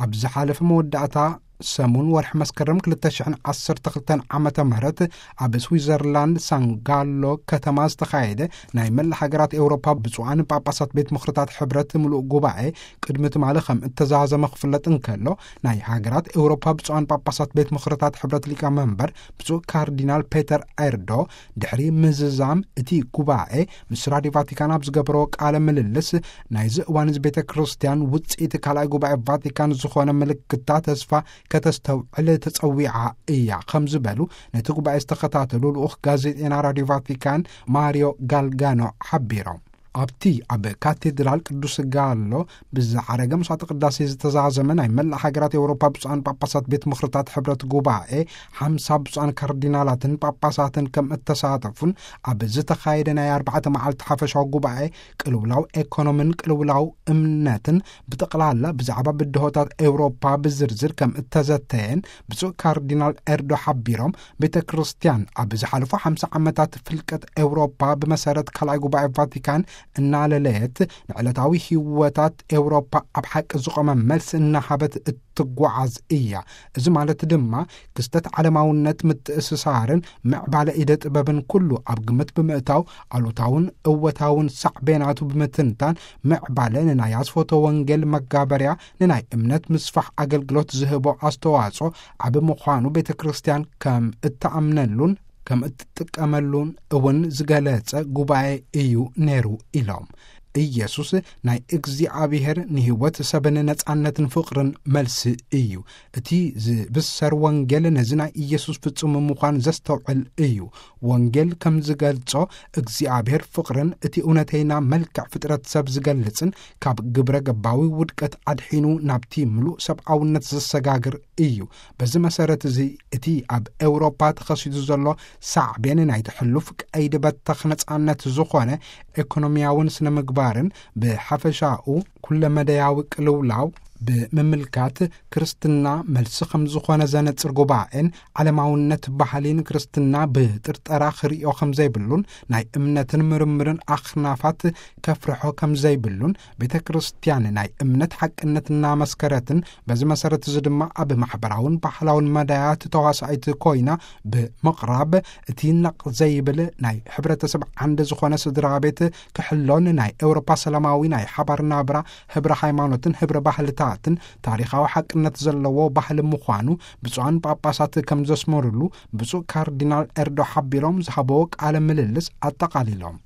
ኣብ ዝሓለፈ መወዳእታ ሰሙን ወርሒ መስከረም ክልተ ሽሕን ዓሰርተ ክልተን ዓመተ ምህረት ኣብ ስዊዘርላንድ ሳንጋሎ ከተማ ዝተኻየደ ናይ መላ ሃገራት ኤውሮፓ ብፁዓን ጳጳሳት ቤት ምኽርታት ሕብረት ምሉእ ጉባኤ ቅድሚ ትማሊ ከም እተዛዘመ ክፍለጥ እንከሎ፣ ናይ ሃገራት ኤውሮፓ ብፁዓን ጳጳሳት ቤት ምኽርታት ሕብረት ሊቀ መንበር ብፁዕ ካርዲናል ፔተር ኤርዶ ድሕሪ ምዝዛም እቲ ጉባኤ ምስ ራድዮ ቫቲካን ኣብ ዝገበሮ ቃለ ምልልስ፣ ናይዚ እዋን እዚ ቤተ ክርስቲያን ውፅኢት ካልኣይ ጉባኤ ቫቲካን ዝኾነ ምልክታ ተስፋ ከተስተውዕል ተጸዊዓ እያ ከም ዝበሉ ነቲ ጉባኤ ዝተኸታተሉ ልኡኽ ጋዜጠና ራድዮ ቫቲካን ማሪዮ ጋልጋኖ ሓቢሮም። ኣብቲ ኣብ ካቴድራል ቅዱስ ጋሎ ብዝዓረገ መስዋዕተ ቅዳሴ ዝተዛዘመ ናይ መላእ ሃገራት ኤውሮፓ ብፁዓን ጳጳሳት ቤት ምኽርታት ሕብረት ጉባኤ፣ ሓምሳ ብፁዓን ካርዲናላትን ጳጳሳትን ከም እተሳተፉን፣ ኣብ ዝተኻየደ ናይ ኣርባዕተ መዓልቲ ሓፈሻዊ ጉባኤ ቅልውላው ኤኮኖምን ቅልውላው እምነትን ብጠቕላላ ብዛዕባ ብድሆታት ኤውሮፓ ብዝርዝር ከም እተዘተየን ብፁዕ ካርዲናል ኤርዶ ሓቢሮም፣ ቤተ ክርስቲያን ኣብ ዝሓለፉ ሓምሳ ዓመታት ፍልቀት ኤውሮፓ ብመሰረት ካልኣይ ጉባኤ ቫቲካን እናለለየት፣ ንዕለታዊ ህይወታት ኤውሮፓ ኣብ ሓቂ ዝቖመ መልሲ እናሃበት እትጓዓዝ እያ። እዚ ማለት ድማ ክስተት ዓለማውነት ምትእስሳርን ምዕባለ ኢደ ጥበብን ኩሉ ኣብ ግምት ብምእታው፣ ኣሉታውን እወታውን ሳዕቤናቱ ብምትንታን፣ ምዕባለ ንናይ ኣስፎቶ ወንጌል መጋበርያ፣ ንናይ እምነት ምስፋሕ ኣገልግሎት ዝህቦ ኣስተዋጽኦ ዓቢ ምዃኑ ቤተ ክርስቲያን ከም እትኣምነሉን ከም እትጥቀመሉን እውን ዝገለጸ ጉባኤ እዩ ነይሩ ኢሎም። ኢየሱስ ናይ እግዚኣብሔር ንህይወት ሰብን ነጻነትን ፍቕርን መልሲ እዩ። እቲ ዝብሰር ወንጌል ነዚ ናይ ኢየሱስ ፍጹም ምዃን ዘስተውዕል እዩ። ወንጌል ከም ዝገልጾ እግዚኣብሔር ፍቕርን እቲ እውነተይና መልክዕ ፍጥረት ሰብ ዝገልጽን ካብ ግብረ ገባዊ ውድቀት ኣድሒኑ ናብቲ ምሉእ ሰብኣውነት ዘሰጋግር እዩ። በዚ መሰረት እዚ እቲ ኣብ ኤውሮፓ ተኸሲቱ ዘሎ ሳዕቤን ናይቲ ሕሉፍ ቀይዲ በተኽ ነጻነት ዝኾነ ኤኮኖሚያውን ስነ ምግባርን ብሓፈሻኡ ኩለመደያዊ ቅልውላው ብምምልካት ክርስትና መልሲ ከም ዝኾነ ዘነጽር ጉባኤን ዓለማውነት ባህሊን ክርስትና ብጥርጠራ ክርእዮ ከም ዘይብሉን ናይ እምነትን ምርምርን ኣኽናፋት ከፍርሖ ከም ዘይብሉን ቤተ ክርስቲያን ናይ እምነት ሓቅነት እናመስከረትን በዚ መሰረት እዚ ድማ ኣብ ማሕበራውን ባህላውን መዳያት ተዋሳኢት ኮይና ብምቕራብ እቲ ነቕ ዘይብል ናይ ሕብረተሰብ ዓንዲ ዝኾነ ስድራ ቤት ክሕሎን ናይ ኤውሮፓ ሰላማዊ ናይ ሓባር ናብራ ህብረ ሃይማኖትን ህብረ ባህልታትን ታሪኻዊ ሓቅነት ዘለዎ ባህሊ ምዃኑ ብፁዓን ጳጳሳት ከም ዘስመሩሉ ብፁዕ ካርዲናል ኤርዶ ሓቢሮም ዝሃበዎ ቃለ ምልልስ ኣጠቓሊሎም።